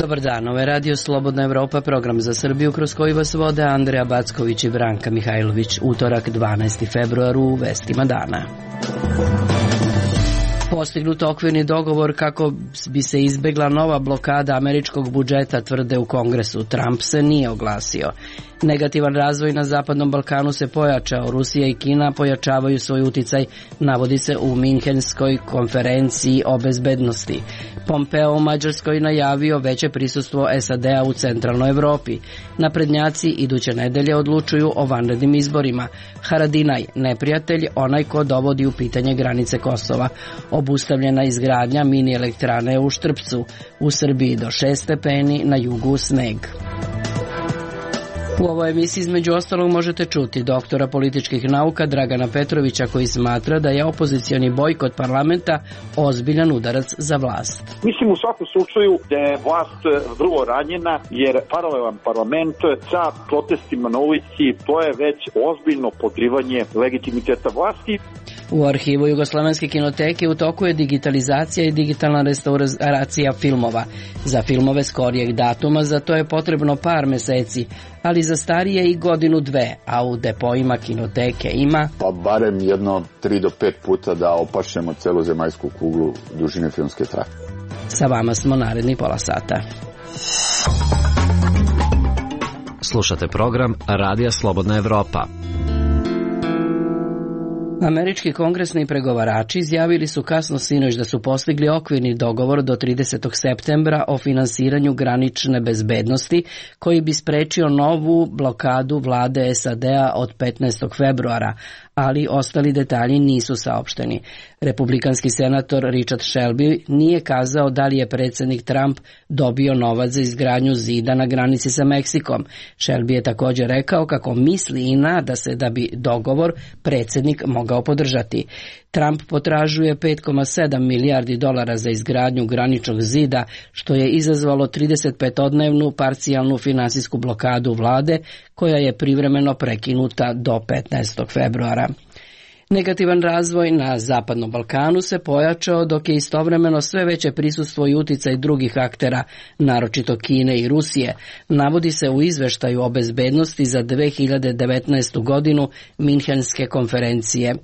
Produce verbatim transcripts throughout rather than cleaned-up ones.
Dobar dan, ovo je Radio Slobodna Evropa, program za Srbiju kroz koji vas vode Andreja Backović i Branka Mihajlović. Utorak, dvanaesti februar, u vestima dana. Postignut okvirni dogovor kako bi se izbegla nova blokada američkog budžeta, tvrde u Kongresu. Trump se nije oglasio. Negativan razvoj na Zapadnom Balkanu se pojačao. Rusija i Kina pojačavaju svoj uticaj, navodi se u Minhenskoj konferenciji o bezbednosti. Pompeo u Mađarskoj najavio veće prisustvo S A D-a u centralnoj Evropi. Naprednjaci iduće nedelje odlučuju o vanrednim izborima. Haradinaj, neprijatelj, onaj ko dovodi u pitanje granice Kosova. Obustavljena izgradnja mini elektrane u Štrpcu. U Srbiji do šest stepeni, na jugu sneg. U ovoj emisiji između ostalog možete čuti doktora političkih nauka Dragana Petrovića, koji smatra da je opozicioni bojkot parlamenta ozbiljan udarac za vlast. Mislim u svakom slučaju da je vlast vrlo ranjena, jer paralelan parlament sa protestima na ulici, to je već ozbiljno podrivanje legitimiteta vlasti. U arhivu Jugoslovenske kinoteke u toku je digitalizacija i digitalna restauracija filmova. Za filmove skorijeg datuma za to je potrebno par meseci, ali za starije i godinu dve, a u depoima kinoteke ima... Pa barem jedno tri do pet puta da opašemo celu zemaljsku kuglu dužine filmske trake. Sa vama smo naredni pola sata. Slušate program Radija Slobodna Evropa. Američki kongresni pregovarači izjavili su kasno sinoć da su postigli okvirni dogovor do tridesetog septembra o finansiranju granične bezbednosti, koji bi sprečio novu blokadu vlade S A D-a od petnaestog februara, ali ostali detalji nisu saopšteni. Republikanski senator Richard Shelby nije kazao da li je predsjednik Trump dobio novac za izgradnju zida na granici sa Meksikom. Shelby je također rekao kako misli i nada se da bi dogovor predsjednik mogao podržati. Trump potražuje pet zarez sedam milijardi dolara za izgradnju graničnog zida, što je izazvalo tridesetpetodnevnu parcijalnu finansijsku blokadu vlade, koja je privremeno prekinuta do petnaestog februara. Negativan razvoj na Zapadnom Balkanu se pojačao, dok je istovremeno sve veće prisustvo i uticaj drugih aktera, naročito Kine i Rusije, navodi se u izveštaju o bezbednosti za dve hiljade devetnaestu godinu Minhenske konferencije.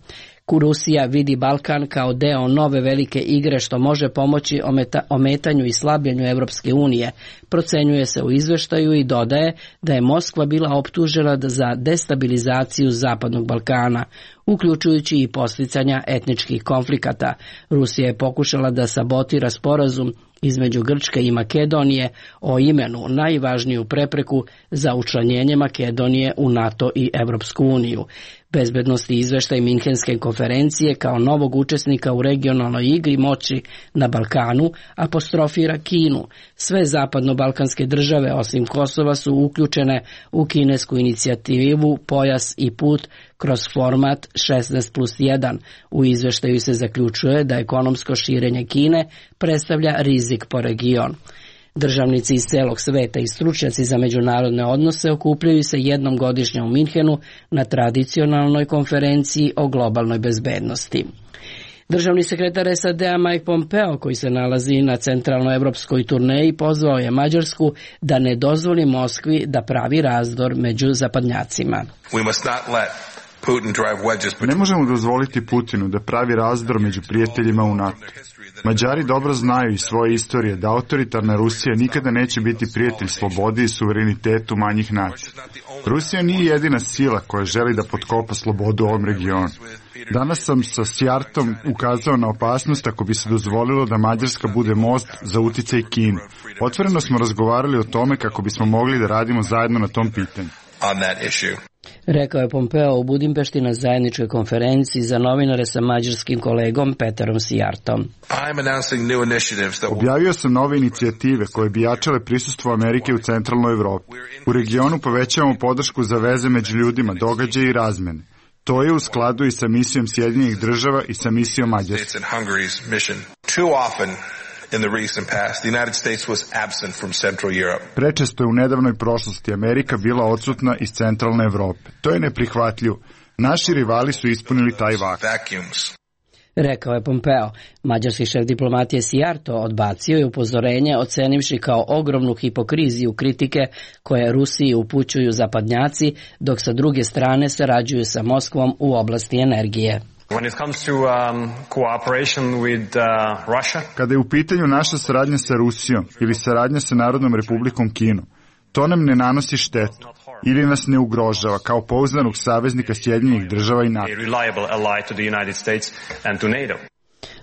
Rusija vidi Balkan kao deo nove velike igre što može pomoći ometa, ometanju i slabljenju Evropske unije. Procenjuje se u izveštaju i dodaje da je Moskva bila optužena za destabilizaciju Zapadnog Balkana, uključujući i posticanja etničkih konflikata. Rusija je pokušala da sabotira sporazum između Grčke i Makedonije o imenu, najvažniju prepreku za učlanjenje Makedonije u NATO i Evropsku uniju. Bezbednosti izveštaj Minhenske konferencije kao novog učesnika u regionalnoj igri moći na Balkanu apostrofira Kinu. Sve zapadno-balkanske države osim Kosova su uključene u kinesku inicijativu Pojas i put kroz format šesnaest plus jedan. U izveštaju se zaključuje da ekonomsko širenje Kine predstavlja rizik po region. Državnici iz celog sveta i stručnjaci za međunarodne odnose okupljaju se jednom godišnje u Minhenu na tradicionalnoj konferenciji o globalnoj bezbednosti. Državni sekretar S A D-a Mike Pompeo, koji se nalazi na centralnoevropskoj turneji, pozvao je Mađarsku da ne dozvoli Moskvi da pravi razdor među zapadnjacima. Ne možemo dozvoliti Putinu da pravi razdor među prijateljima u NATO. Mađari dobro znaju iz svoje istorije da autoritarna Rusija nikada neće biti prijatelj slobodi i suverenitetu manjih nacija. Rusija nije jedina sila koja želi da potkopa slobodu u ovom regionu. Danas sam sa Sjartom ukazao na opasnost ako bi se dozvolilo da Mađarska bude most za uticaj Kine. Otvoreno smo razgovarali o tome kako bismo mogli da radimo zajedno na tom pitanju. Rekao je Pompeo u Budimpešti na zajedničkoj konferenciji za novinare sa mađarskim kolegom Peterom Sjartom. Objavio sam nove inicijative koje bi jačale prisustvo Amerike u centralnoj Evropi. U regionu povećavamo podršku za veze među ljudima, događaje i razmene. To je u skladu i sa misijom Sjedinjenih država i sa misijom Mađarske. In the recent past, the United States was absent from Central Europe. Prečesto je u nedavnoj prošlosti Amerika bila odsutna iz centralne Evrope. To je neprihvatljivo. Naši rivali su ispunili taj vakuum. rekao je Pompeo. Mađarski šef diplomatije Sijarto odbacio je upozorenje, ocenivši kao ogromnu hipokriziju kritike koje Rusiji upućuju zapadnjaci, dok sa druge strane sarađuju sa Moskvom u oblasti energije. When it comes to um, cooperation with uh, Russia, kada je u pitanju naša saradnja sa Rusijom ili saradnja sa Narodnom republikom Kinom, to nam ne nanosi štetu ili nas ne ugrožava kao pouzdanog saveznika Sjedinjenih država i NATO.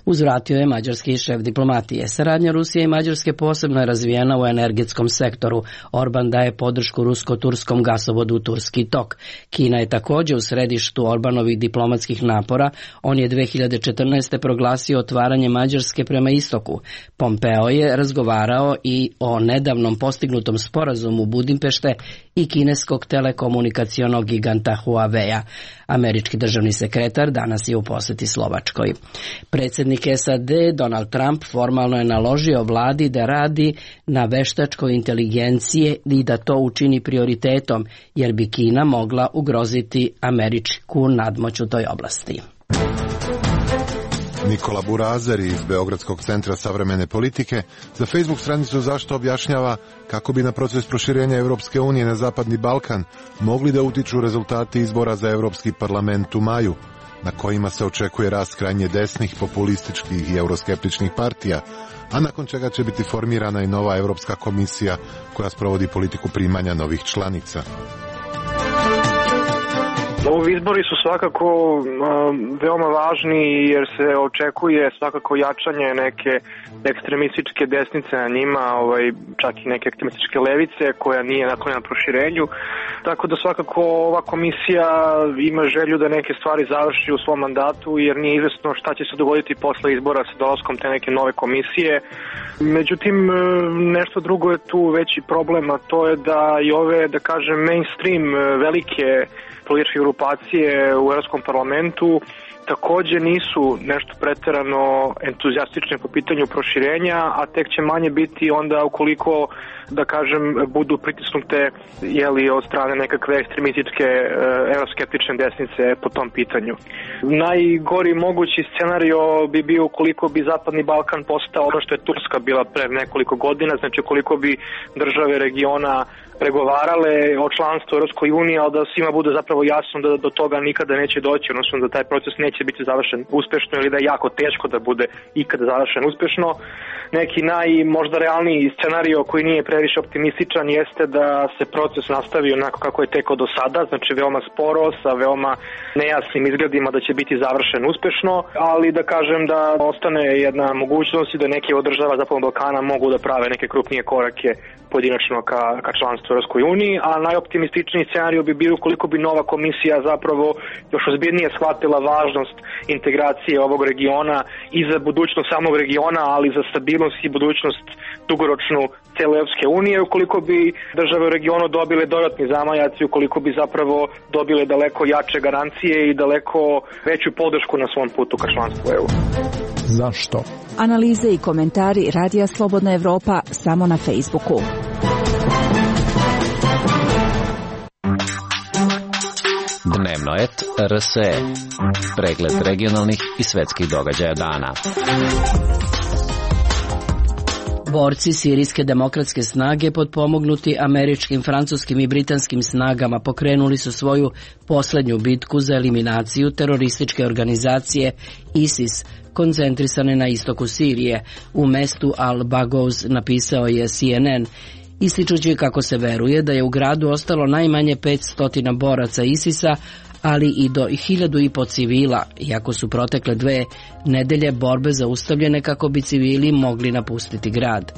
Uzvratio je mađarski šef diplomatije. Saradnja Rusije i Mađarske posebno je razvijena u energetskom sektoru. Orban daje podršku rusko-turskom gasovodu Turski tok. Kina je također u središtu Orbanovih diplomatskih napora. On je dve hiljade četrnaeste. proglasio otvaranje Mađarske prema istoku. Pompeo je razgovarao i o nedavnom postignutom sporazumu Budimpešte i kineskog telekomunikacionog giganta Huawei-a. Američki državni sekretar danas je u posjeti Slovačkoj. Predsjednik S A D Donald Trump formalno je naložio vladi da radi na veštačkoj inteligencije i da to učini prioritetom, jer bi Kina mogla ugroziti američku nadmoć u toj oblasti. Nikola Burazeri iz Beogradskog centra savremene politike za Facebook stranicu Zašto objašnjava kako bi na proces proširenja Europske unije na Zapadni Balkan mogli da utiču rezultati izbora za Europski parlament u maju, na kojima se očekuje rast krajnje desnih, populističkih i euroskeptičnih partija, a nakon čega će biti formirana i nova Europska komisija koja sprovodi politiku primanja novih članica. Ovi izbori su svakako um, veoma važni jer se očekuje svakako jačanje neke ekstremističke desnice na njima, ovaj, čak i neke ekstremističke levice koja nije naklonjena proširenju. Tako da svakako ova komisija ima želju da neke stvari završi u svom mandatu jer nije izvesno šta će se dogoditi posle izbora sa dolaskom te neke nove komisije. Međutim, nešto drugo je tu veći problem, a to je da i ove, da kažem, mainstream velike političke grupacije u Europskom parlamentu također nisu nešto pretjerano entuzijastične po pitanju proširenja, a tek će manje biti onda ukoliko, da kažem, budu pritisnute jeli, od strane nekakve ekstremističke e, euroskeptične desnice po tom pitanju. Najgori mogući scenario bi bio ukoliko bi Zapadni Balkan postao ono što je Turska bila pre nekoliko godina, znači ukoliko bi države regiona pregovarale o članstvu u Europskoj uniji, ali da svima bude zapravo jasno da do toga nikada neće doći, odnosno da taj proces neće biti završen uspešno ili da je jako teško da bude ikada završen uspešno. Neki naj možda realniji scenario koji nije previše optimističan jeste da se proces nastavi onako kako je tekao do sada, znači veoma sporo, sa veoma nejasnim izgledima da će biti završen uspešno, ali da kažem da ostane jedna mogućnost i da neke od država Zapadnog Balkana mogu da prave neke krupnije korake pojedinačno ka, ka članstvu u Europskoj uniji, a najoptimističniji scenarij bi bio ukoliko bi nova komisija zapravo još ozbiljnije shvatila važnost integracije ovog regiona i za budućnost samog regiona, ali za stabilnost i budućnost dugoročnu cele Europske unije, ukoliko bi države u regionu dobile dodatni zamajac i ukoliko bi zapravo dobile daleko jače garancije i daleko veću podršku na svom putu ka članstvu E U. Zašto? Analize i komentari Radija Slobodna Evropa samo na Facebooku. Dnevnoet R S E. Pregled regionalnih i svetskih događaja dana. Borci sirijske demokratske snage potpomognuti američkim, francuskim i britanskim snagama pokrenuli su svoju posljednju bitku za eliminaciju terorističke organizacije ISIS, koncentrisane na istoku Sirije. U mestu Al-Baghouz, napisao je C N N, ističući kako se veruje da je u gradu ostalo najmanje petsto boraca ISIS-a, ali i do hiljadu i po civila, iako su protekle dve nedelje borbe zaustavljene kako bi civili mogli napustiti grad.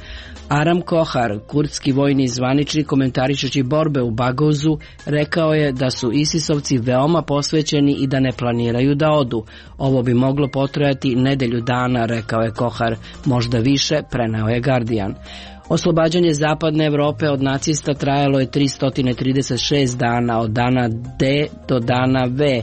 Aram Kohar, kurdski vojni zvaničnik, komentarišući borbe u Baghouzu, rekao je da su ISIS-ovci veoma posvećeni i da ne planiraju da odu. Ovo bi moglo potrajati nedelju dana, rekao je Kohar, možda više, preneo je Guardian. Oslobađanje zapadne Evrope od nacista trajalo je tristo trideset šest dana, od dana D do dana V.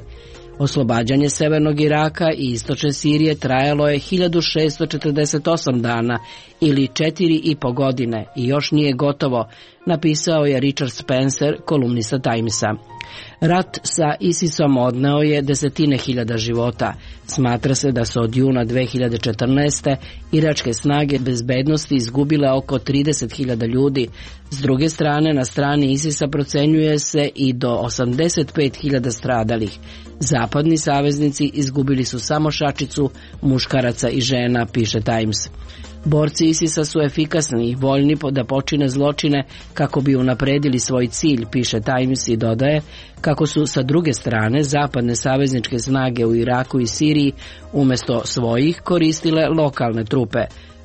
Oslobađanje severnog Iraka i istočne Sirije trajalo je hiljadu šessto četrdeset osam dana ili četiri i po godine i još nije gotovo, napisao je Richard Spencer, kolumnista Timesa. Rat sa ISISom odneo je desetine hiljada života. Smatra se da su od juna dve hiljade četrnaeste. iračke snage bezbednosti izgubile oko trideset hiljada ljudi. S druge strane, na strani ISISa procenjuje se i do osamdeset pet hiljada stradalih. Zapadni saveznici izgubili su samo šačicu muškaraca i žena, piše Times. Borci ISISa su efikasni i voljni da počine zločine kako bi unapredili svoj cilj, piše Times i dodaje kako su sa druge strane zapadne savezničke snage u Iraku i Siriji umjesto svojih koristile lokalne trupe,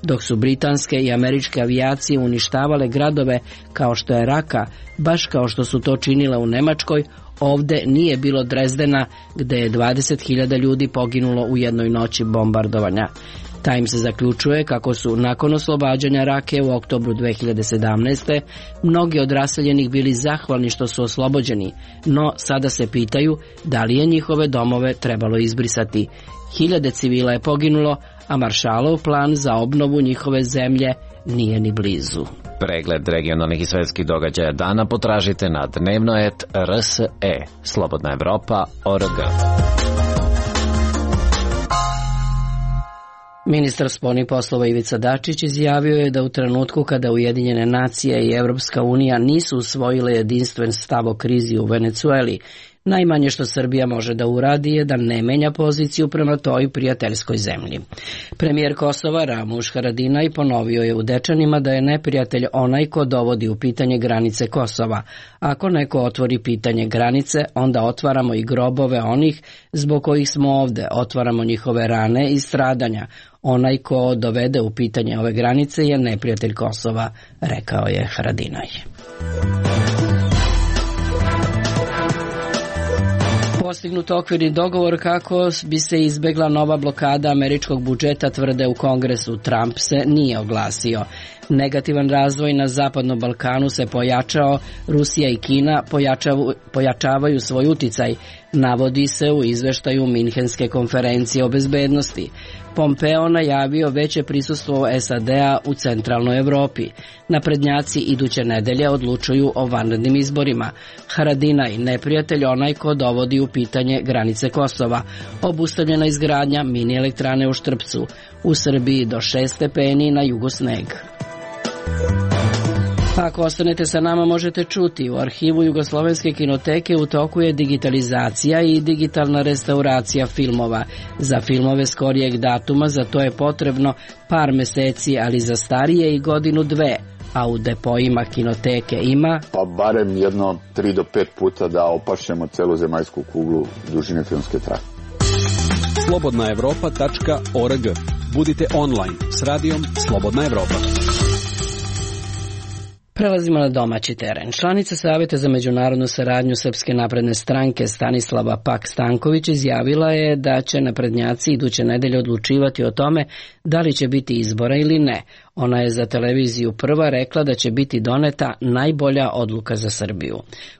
dok su britanske i američke avijacije uništavale gradove kao što je Raka, baš kao što su to činile u Nemačkoj. Ovde nije bilo Drezdena, gde je dvadeset hiljada ljudi poginulo u jednoj noći bombardovanja. Times zaključuje kako su nakon oslobađanja Rake u oktobru dve hiljade sedamnaeste. mnogi od raseljenih bili zahvalni što su oslobođeni, no sada se pitaju da li je njihove domove trebalo izbrisati. Hiljade civila je poginulo, a Maršalov plan za obnovu njihove zemlje nije ni blizu. Pregled regionalnih i svetskih događaja dana potražite na dnevnoet R S E, Slobodna Evropa, O R G. Ministar spoljnih poslova Ivica Dačić izjavio je da u trenutku kada Ujedinjene nacije i Evropska unija nisu usvojile jedinstven stav o krizi u Venecueli, najmanje što Srbija može da uradi je da ne menja poziciju prema toj prijateljskoj zemlji. Premijer Kosova Ramuš Haradinaj ponovio je u Dečanima da je neprijatelj onaj ko dovodi u pitanje granice Kosova. Ako neko otvori pitanje granice, onda otvaramo i grobove onih zbog kojih smo ovde, otvaramo njihove rane i stradanja. Onaj ko dovede u pitanje ove granice je neprijatelj Kosova, rekao je Haradinaj. Postignut okvirni dogovor kako bi se izbegla nova blokada američkog budžeta, tvrde u Kongresu. Trump se nije oglasio. Negativan razvoj na Zapadnom Balkanu se pojačao, Rusija i Kina pojačavaju svoj uticaj, navodi se u izveštaju Minhenske konferencije o bezbednosti. Pompeo najavio veće prisustvo S A D-a u centralnoj Evropi. Naprednjaci iduće nedelje odlučuju o vanrednim izborima. Haradinaj, neprijatelj onaj ko dovodi u pitanje granice Kosova. Obustavljena izgradnja mini elektrane u Štrpcu. U Srbiji do šest stepeni, na jugu sneg. Ako ostanete sa nama možete čuti, u arhivu Jugoslovenske kinoteke u toku je digitalizacija i digitalna restauracija filmova. Za filmove skorijeg datuma za to je potrebno par meseci, ali za starije i godinu dve, a u depoima kinoteke ima pa barem jedno tri do pet puta da opašemo celu zemaljsku kuglu dužine filmske trake. slobodna evropa tačka org. Budite online s radijom Slobodna Evropa. Prelazimo na domaći teren. Članica Saveta za međunarodnu saradnju Srpske napredne stranke Stanislava Pak Stanković izjavila je da će naprednjaci iduće nedelje odlučivati o tome da li će biti izbora ili ne. Ona je za televiziju Prva rekla da će biti doneta najbolja odluka za Srbiju.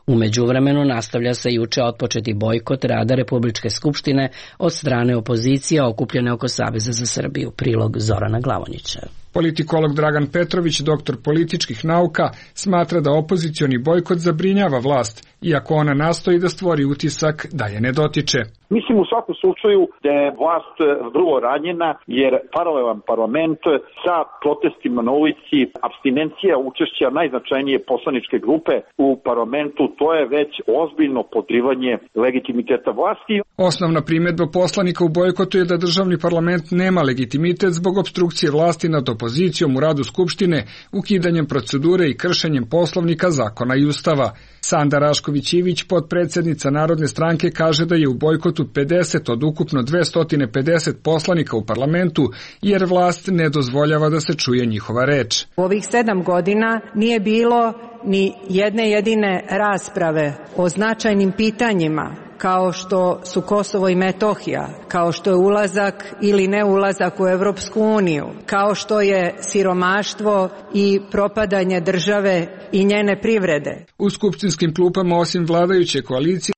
U međuvremenu nastavlja se juče otpočeti bojkot rada Republičke skupštine od strane opozicije okupljene oko Saveza za Srbiju. Prilog Zorana Glavonjića. Politikolog Dragan Petrović, doktor političkih nauka, smatra da opozicioni bojkot zabrinjava vlast, iako ona nastoji da stvori utisak da je ne dotiče. Mislim u svakom slučaju da je vlast vrlo ranjena jer paralelan parlament sa protestima na ulici, apstinencija učešća najznačajnije poslaničke grupe u parlamentu, to je već ozbiljno podrivanje legitimiteta vlasti. Osnovna primedba poslanika u bojkotu je da državni parlament nema legitimitet zbog opstrukcije vlasti nad opozicijom u radu Skupštine, ukidanjem procedure i kršenjem poslovnika, zakona i ustava. Sanda Rašković-Ivić, potpredsednica Narodne stranke, kaže da je u bojkotu pedeset od ukupno dvesta pedeset poslanika u parlamentu, jer vlast ne dozvoljava da se čuje njihova reč. U ovih sedam godina nije bilo ni jedne jedine rasprave o značajnim pitanjima, kao što su Kosovo i Metohija, kao što je ulazak ili ne ulazak u Evropsku uniju, kao što je siromaštvo i propadanje države i njene privrede. U skupštinskim klupama, osim vladajuće koalicije,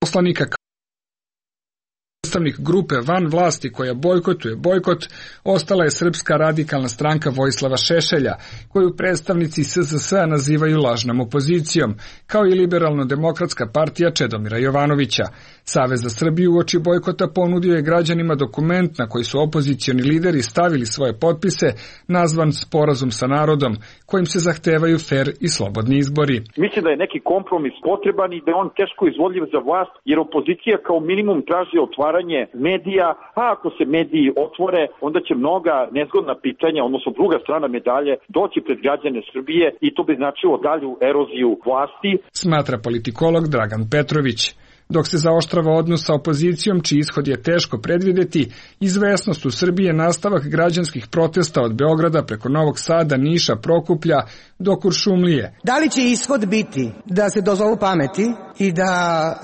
poslanika predstavnik grupe van vlasti koja bojkotuje bojkot ostala je Srpska radikalna stranka Vojislava Šešelja, koju predstavnici S Z S-a nazivaju lažnom opozicijom, kao i Liberalno-demokratska partija Čedomira Jovanovića. Savez za Srbiju uoči bojkota ponudio je građanima dokument na koji su opozicioni lideri stavili svoje potpise, nazvan Sporazum sa narodom, kojim se zahtevaju fer i slobodni izbori. Mislim da je neki kompromis potreban i da je on teško izvodljiv za vlast, jer opozicija kao minimum traži otvaranje medija, a ako se mediji otvore, onda će mnoga nezgodna pitanja, odnosno druga strana medalje, doći pred građane Srbije i to bi značilo dalju eroziju vlasti. Smatra politikolog Dragan Petrović. Dok se zaoštrava odnos sa opozicijom, čiji ishod je teško predvideti, izvesnost u Srbiji je nastavak građanskih protesta od Beograda preko Novog Sada, Niša, Prokuplja do Kuršumlije. Da li će ishod biti da se dozovu pameti i da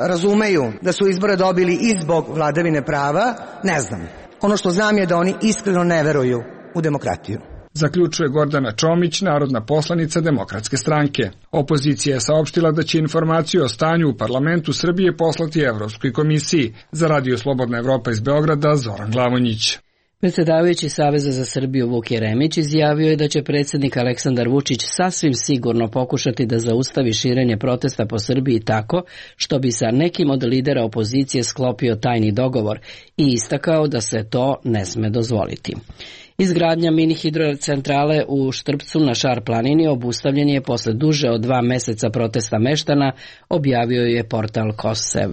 razumeju da su izbore dobili i zbog vladavine prava, ne znam. Ono što znam je da oni iskreno ne veruju u demokratiju. Zaključuje Gordana Čomić, narodna poslanica Demokratske stranke. Opozicija je saopštila da će informaciju o stanju u parlamentu Srbije poslati Evropskoj komisiji. Za Radio Slobodna Evropa iz Beograda, Zoran Glavonjić. Predsjedavajući Saveza za Srbiju Vuk Jeremić izjavio je da će predsjednik Aleksandar Vučić sasvim sigurno pokušati da zaustavi širenje protesta po Srbiji tako što bi sa nekim od lidera opozicije sklopio tajni dogovor i istakao da se to ne sme dozvoliti. Izgradnja mini hidrocentrale u Štrpcu na Šar planini obustavljen je posle duže od dva meseca protesta meštana, objavio je portal Kosev.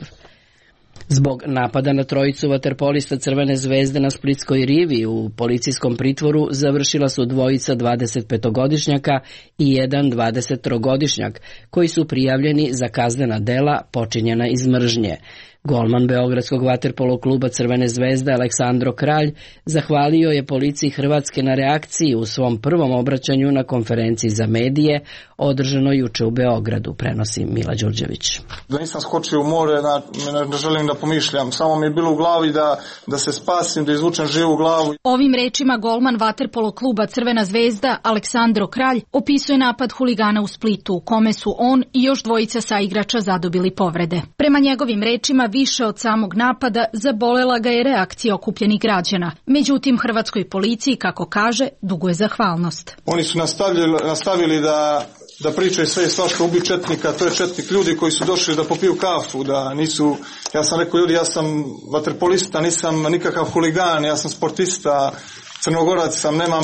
Zbog napada na trojicu vaterpolista Crvene zvezde na Splitskoj rivi u policijskom pritvoru završila su dvojica dvadesetpetogodišnjaka i jedan dvadesettrogodišnjak, koji su prijavljeni za kaznena dela počinjena iz mržnje. Golman Beogradskog vaterpolo kluba Crvene zvezde Aleksandro Kralj zahvalio je policiji Hrvatske na reakciji u svom prvom obraćanju na konferenciji za medije održano juče u Beogradu, prenosi Mila Đurđević. Da nisam skočio u more, da ne želim da pomišljam, samo mi je bilo u glavi da, da se spasim, da izvučem živu glavu. Ovim rečima golman vaterpolo kluba Crvena zvezda Aleksandro Kralj opisuje napad huligana u Splitu, u kome su on i još dvojica saigrača zadobili povrede. Prema njegovim rečima, više od samog napada zabolela ga je reakcija okupljenih građana. Međutim, hrvatskoj policiji, kako kaže, duguje zahvalnost. Oni su nastavili, nastavili da, da pričaju sve i svašta, ubi četnika, to je četnik, ljudi koji su došli da popiju kafu, da nisu, ja sam rekao ljudi, ja sam vaterpolista, nisam nikakav huligan, ja sam sportista, Crnogorac sam, nemam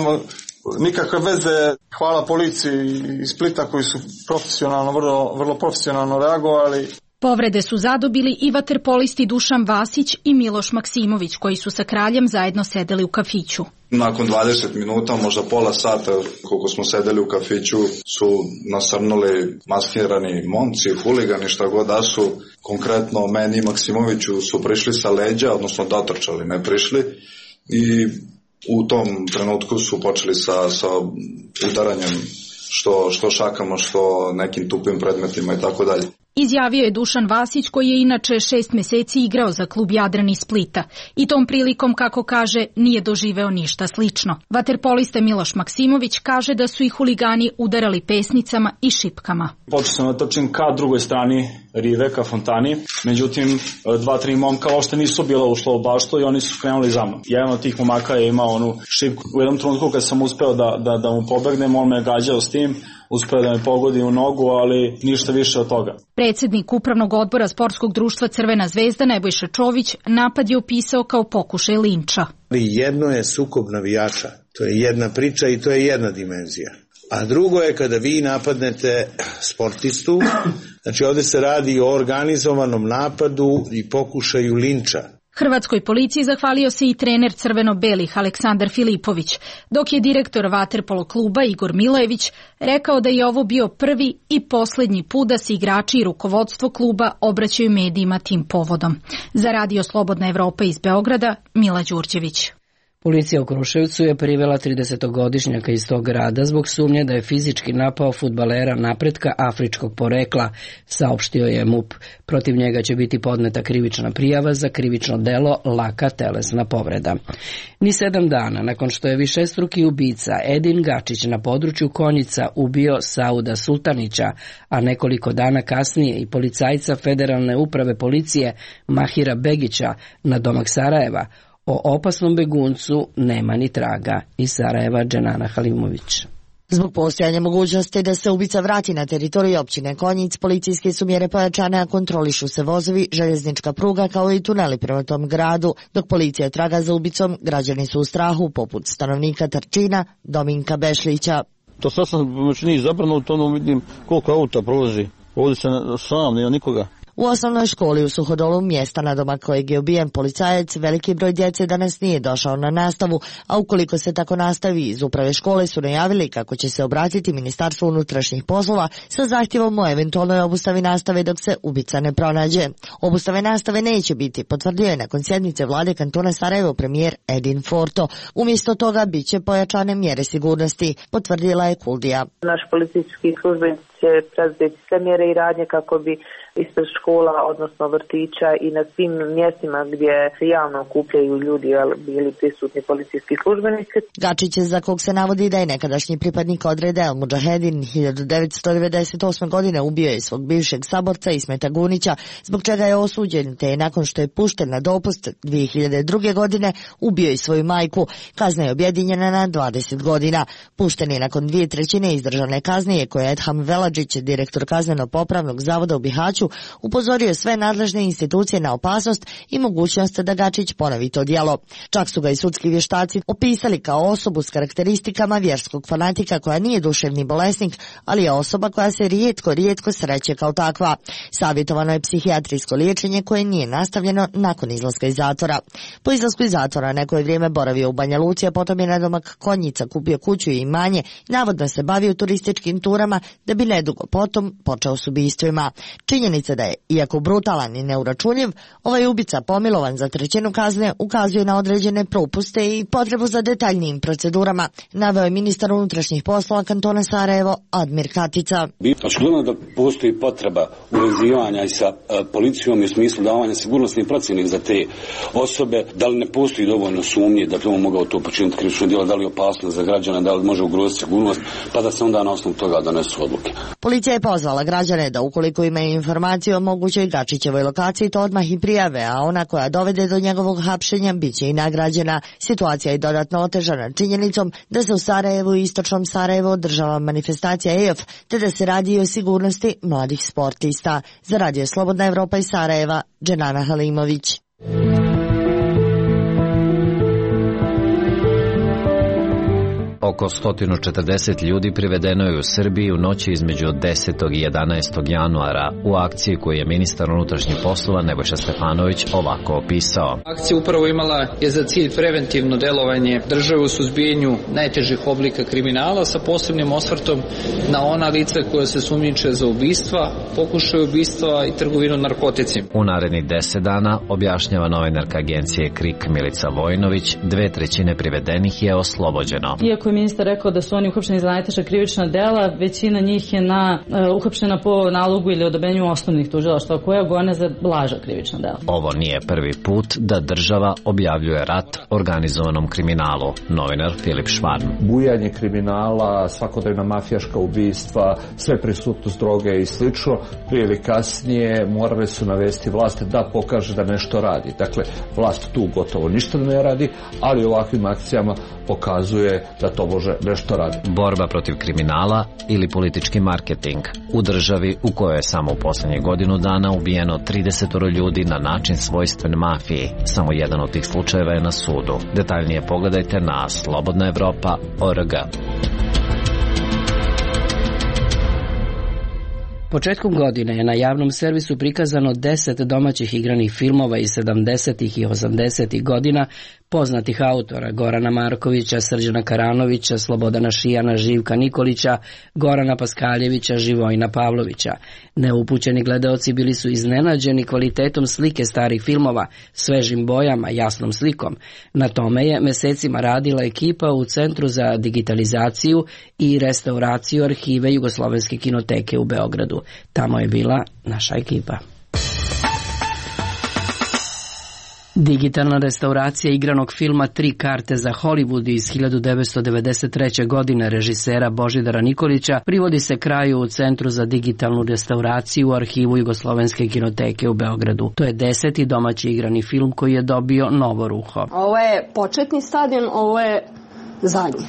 nikakve veze. Hvala policiji iz Splita koji su profesionalno, vrlo, vrlo profesionalno reagovali. Povrede su zadobili i vaterpolisti Dušan Vasić i Miloš Maksimović, koji su sa Kraljem zajedno sedeli u kafiću. Nakon dvadeset minuta, možda pola sata, koliko smo sedeli u kafiću, su nasrnuli maskirani momci, huligani, šta god da su. Konkretno, meni i Maksimoviću su prišli sa leđa, odnosno dotrčali, ne prišli. I u tom trenutku su počeli sa, sa udaranjem što, što šakama, što nekim tupim predmetima i tako dalje. Izjavio je Dušan Vasić, koji je inače šest meseci igrao za klub Jadran iz Splita i tom prilikom, kako kaže, nije doživeo ništa slično. Vaterpolista Miloš Maksimović kaže da su i huligani udarali pesnicama i šipkama. Počeo sam da trčim ka drugoj strani rive, ka fontani, međutim dva, tri momka uopšte nisu bila ušla u baštu i oni su krenuli za mnom. Jedan od tih momaka je imao onu šipku. U jednom trenutku kad sam uspeo da, da, da mu pobegnem, on me gađao s tim, uspeo da me pogodi u nogu, ali ništa više od toga. Predsjednik Upravnog odbora Sportskog društva Crvena zvezda Nebojša Čović napad je opisao kao pokušaj linča. Jedno je sukob navijača, to je jedna priča i to je jedna dimenzija. A drugo je kada vi napadnete sportistu, znači ovdje se radi o organizovanom napadu i pokušaju linča. Hrvatskoj policiji zahvalio se i trener crveno-belih Aleksandar Filipović, dok je direktor vaterpolo kluba Igor Milojević rekao da je ovo bio prvi i posljednji put da se igrači i rukovodstvo kluba obraćaju medijima tim povodom. Za Radio Slobodna Evropa iz Beograda, Mila Đurđević. Policija u Kruševcu je privela tridesetogodišnjaka iz tog grada zbog sumnje da je fizički napao fudbalera Napretka afričkog porekla, saopštio je M U P. Protiv njega će biti podneta krivična prijava za krivično delo laka telesna povreda. Ni sedam dana nakon što je višestruki ubica Edin Gačić na području Konjica ubio Sauda Sultanića, a nekoliko dana kasnije i policajca Federalne uprave policije Mahira Begića na domak Sarajeva, o opasnom beguncu nema ni traga. Iz Sarajeva, Dženana Halimović. Zbog postojanja mogućnosti da se ubica vrati na teritoriju općine Konjic, policijske su mjere pojačane, a kontrolišu se vozovi, željeznička pruga kao i tuneli prema tom gradu. Dok policija traga za ubicom, građani su u strahu, poput stanovnika Trčina, Dominka Bešlića. To sad sam pomoćnik zabrano, u tomu vidim koliko auta prolazi. Ovdje se sam, nema nikoga. U osnovnoj školi u Suhodolu, mjesta na domak kojeg je ubijen policajac, veliki broj djece danas nije došao na nastavu, a ukoliko se tako nastavi, iz uprave škole su najavili kako će se obratiti Ministarstvu unutrašnjih poslova sa zahtjevom o eventualnoj obustavi nastave dok se ubica ne pronađe. Obustave nastave neće biti, potvrdio je nakon sjednice vlade kantona Sarajevo premijer Edin Forto. Umjesto toga bit će pojačane mjere sigurnosti, potvrdila je Kuldija. Naš policijski službenici će preduzeti sve mjere i radnje kako bi ispred škola, odnosno vrtića i na svim mjestima gdje se javno okupljaju ljudi bili prisutni policijski službenici. Gačić, za kog se navodi da je nekadašnji pripadnik odreda El Mudžahedin, hiljadu devetsto devedeset osme. godine ubio je svog bivšeg saborca Ismeta Gunića, zbog čega je osuđen, te je nakon što je pušten na dopust dvije hiljade druge. godine ubio i svoju majku. Kazna je objedinjena na dvadeset godina. Pušten je nakon dvije trećine izdržane kazne, koje je Edham Veladžić, direktor kazneno-popravnog zavoda u Bihaću, upozorio sve nadležne institucije na opasnost i mogućnost da Gačić ponovi to djelo. Čak su ga i sudski vještaci opisali kao osobu s karakteristikama vjerskog fanatika koja nije duševni bolesnik, ali je osoba koja se rijetko, rijetko sreće kao takva. Savjetovano je psihijatrijsko liječenje koje nije nastavljeno nakon izlaska iz zatvora. Po izlasku iz zatvora neko je vrijeme boravio u Banja Luci, a potom je na domak Konjica kupio kuću i imanje, navodno se bavio turističkim turama, da bi nedugo potom počeo s ubistvima. Činjenica da je, iako brutalan i neuračunljiv, ovaj ubica pomilovan za trećinu kazne ukazuje na određene propuste i potrebu za detaljnijim procedurama, naveo je ministar unutrašnjih poslova kantona Sarajevo Admir Katica. Očigledno da postoji potreba uvezivanja i sa uh, policijom i u smislu davanja sigurnosnih procjena za te osobe, da li ne postoji dovoljno sumnje da bi on mogao to počiniti krivično djelo, da li je opasno za građana, da li može ugroziti sigurnost, pa da se onda na osnovu toga donesu odluke. Policija je pozvala građane da ukoliko imaju informaciju o mogućoj Gačićevoj lokaciji, to odmah i prijave, a ona koja dovede do njegovog hapšenja bit će i nagrađena. Situacija je dodatno otežana činjenicom da se u Sarajevu i istočnom Sarajevu održava manifestacija E F, te da se radi o sigurnosti mladih sportista. Za Radio Slobodna Evropa iz Sarajeva, Dženana Halimović. Oko sto četrdeset ljudi privedeno je u Srbiji u noći između desetog i jedanaestog januara u akciji koju je ministar unutrašnjih poslova Nebojša Stefanović ovako opisao. Akcija upravo imala je za cilj preventivno delovanje države u suzbijanju najtežih oblika kriminala sa posebnim osvrtom na ona lica koja se sumnjiče za ubistva, pokušaj ubistva i trgovinu narkoticima. U narednih deset dana, objašnjava novinarka agencije Krik Milica Vojnović, dve trećine privedenih je oslobođeno. Iako je ministar rekao da su oni uhapšeni za najteža krivična dela, većina njih je na, uh, uhapšena po nalogu ili odobrenju osnovnih tužilaštva koja gone za blaža krivična dela. Ovo nije prvi put da država objavljuje rat organizovanom kriminalu. Novinar Filip Švarn. Bujanje kriminala, svakodnevna mafijaška ubistva, sve prisutnost droge i slično, prije ili kasnije morali su navesti vlast da pokaže da nešto radi. Dakle, vlast tu gotovo ništa ne radi, ali ovakvim akcijama pokazuje da to može nešto radi. Borba protiv kriminala ili politički marketing u državi u kojoj je samo u posljednjih godinu dana ubijeno trideset ljudi na način svojstven mafiji. Samo jedan od tih slučajeva je na sudu. Detaljnije pogledajte na slobodna evropa tačka org. Početkom godine je na javnom servisu prikazano deset domaćih igranih filmova iz sedamdesetih i osamdesetih godina poznatih autora Gorana Markovića, Srđana Karanovića, Slobodana Šijana, Živka Nikolića, Gorana Paskaljevića, Živojina Pavlovića. Neupućeni gledaoci bili su iznenađeni kvalitetom slike starih filmova, svežim bojama, jasnom slikom. Na tome je mesecima radila ekipa u Centru za digitalizaciju i restauraciju arhive Jugoslovenske kinoteke u Beogradu. Tamo je bila naša ekipa. Digitalna restauracija igranog filma Tri karte za Hollywood iz hiljadu devetsto devedeset treće. godine režisera Božidara Nikolića privodi se kraju u Centru za digitalnu restauraciju u arhivu Jugoslovenske kinoteke u Beogradu. To je deseti domaći igrani film koji je dobio novo ruho. Ovo je početni stadion, ovo je zadnji.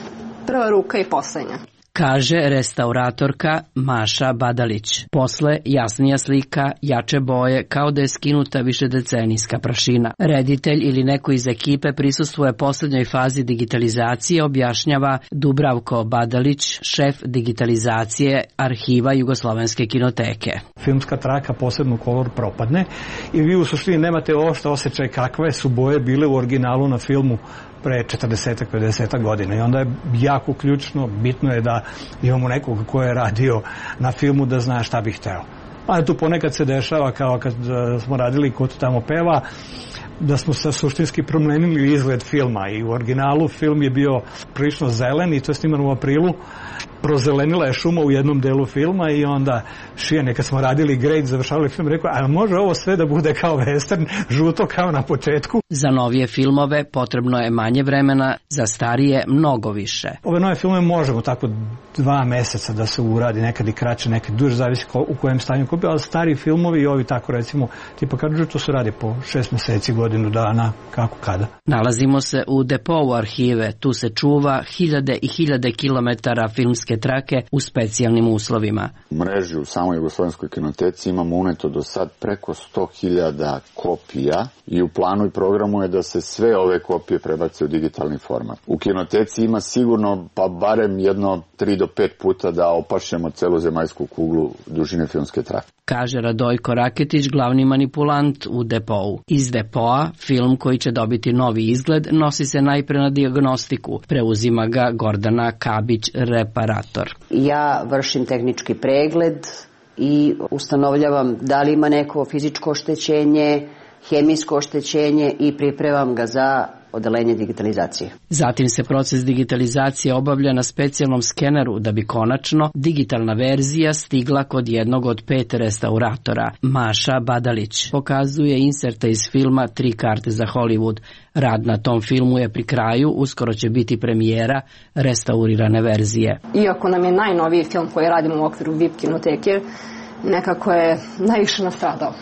Prva ruka i poslednja. Kaže restauratorka Maša Badalić. Posle jasnija slika, jače boje, kao da je skinuta višedecenijska prašina. Reditelj ili neko iz ekipe prisustvuje poslednjoj fazi digitalizacije, objašnjava Dubravko Badalić, šef digitalizacije arhiva Jugoslovenske kinoteke. Filmska traka, posebno kolor, propadne i vi u suštini nemate uopšte osjećaj kakve su boje bile u originalu na filmu pre četrdeset do pedeset godina i onda je jako ključno, bitno je da imamo nekog ko je radio na filmu da zna šta bi hteo. A tu ponekad se dešava kao kad smo radili Ko tamo peva, da smo se suštinski promenili izgled filma i u originalu film je bio prilično zelen i to je snimano u aprilu. Prozelenila je šuma u jednom delu filma i onda Šijane, kad smo radili grade, završavali film, rekao, a može ovo sve da bude kao western, žuto kao na početku? Za novije filmove potrebno je manje vremena, za starije mnogo više. Ove nove filmove možemo tako dva meseca da se uradi, nekad i kraće, nekad duže, zavisi ko, u kojem stanju kupio, ali stari filmovi i ovi tako recimo, tipa kad to se radi po šest meseci, godinu dana, kako kada. Nalazimo se u depou arhive, tu se čuva hiljade i hiljade kilometara filmske trake u specijalnim uslovima. U mreži u samoj Jugoslovenskoj kinoteci imamo uneto do sad preko sto hiljada kopija i u planu i programu je da se sve ove kopije prebace u digitalni format. U kinoteci ima sigurno pa barem jedno tri do pet puta da opašemo celu zemaljsku kuglu dužine filmske trake. Kaže Radojko Raketić, glavni manipulant u depou. Iz depoa film koji će dobiti novi izgled nosi se najpre na dijagnostiku. Preuzima ga Gordana Kabić, reparator. Ja vršim tehnički pregled i ustanovljavam da li ima neko fizičko oštećenje, hemijsko oštećenje i pripremam ga za odelenje digitalizacije. Zatim se proces digitalizacije obavlja na specijalnom skeneru da bi konačno digitalna verzija stigla kod jednog od pet restauratora. Maša Badalić pokazuje inserte iz filma Tri karte za Hollywood. Rad na tom filmu je pri kraju, uskoro će biti premijera restaurirane verzije. Iako nam je najnoviji film koji radimo u okviru V I P kinoteke, nekako je najviše nastradao.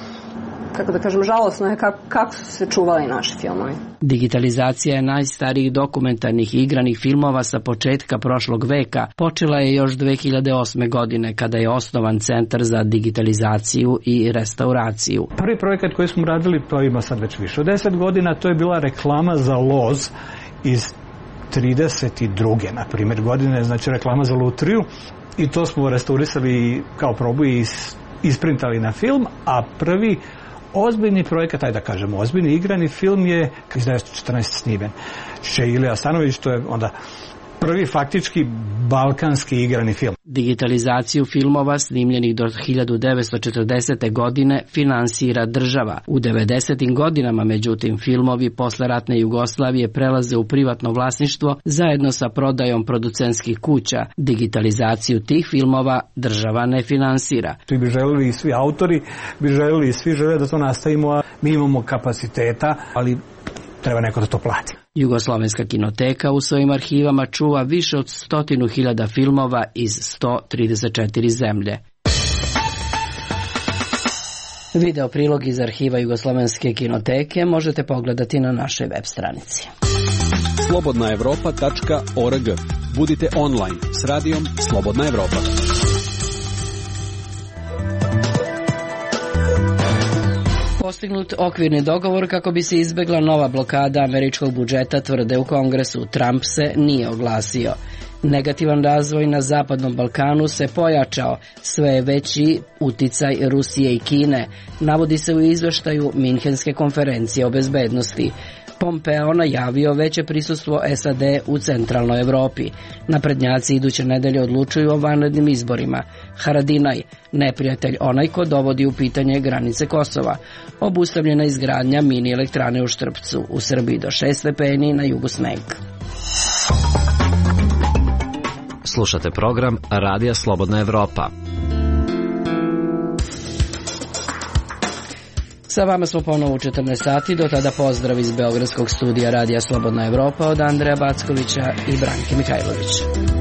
Kako da kažem, žalosno je kako, kako su se čuvali naši filmovi. Digitalizacija je najstarijih dokumentarnih igranih filmova sa početka prošlog veka. Počela je još dve hiljade osme. godine kada je osnovan Centar za digitalizaciju i restauraciju. Prvi projekat koji smo radili, to ima sad već više od deset godina, to je bila reklama za loz iz trideset druge na primjer godine, znači reklama za lutriju i to smo restaurisali kao probu i isprintali na film, a prvi ozbiljni projekat, ajde da kažemo, ozbiljni igrani film je iz devetsto četrnaeste. snimen. Še Ilija Stanović, to je onda prvi faktički balkanski igrani film. Digitalizaciju filmova snimljenih do hiljadu devetsto četrdesete. godine finansira država. U devedesetim godinama, međutim, filmovi posle ratne Jugoslavije prelaze u privatno vlasništvo zajedno sa prodajom producentskih kuća. Digitalizaciju tih filmova država ne finansira. Svi bi želeli i svi autori, bi želeli i svi žele da to nastavimo, a mi imamo kapaciteta, ali treba neko da to plati. Jugoslovenska kinoteka u svojim arhivama čuva više od stotinu hiljada filmova iz sto trideset četiri zemlje. Video prilog iz arhiva Jugoslovenske kinoteke možete pogledati na našoj web stranici. slobodna evropa tačka org. Budite online s radijom Slobodna Evropa. Postignut okvirni dogovor kako bi se izbegla nova blokada američkog budžeta, tvrde u Kongresu. Trump se nije oglasio. Negativan razvoj na Zapadnom Balkanu se pojačao, sve je veći uticaj Rusije i Kine, navodi se u izveštaju Minhenske konferencije o bezbednosti. Pompeo najavio veće prisustvo S A D u centralnoj Evropi. Naprednjaci iduće nedelje odlučuju o vanrednim izborima. Haradinaj, neprijatelj onaj ko dovodi u pitanje granice Kosova. Obustavljena izgradnja mini elektrane u Štrpcu. U Srbiji do šest stepeni, na jugu sneg. Slušate program Radija Slobodna Evropa. Sa vama smo ponovo u četrnaest sati, do tada pozdrav iz Beogradskog studija Radija Slobodna Evropa od Andreja Backovića i Branke Mihajlović.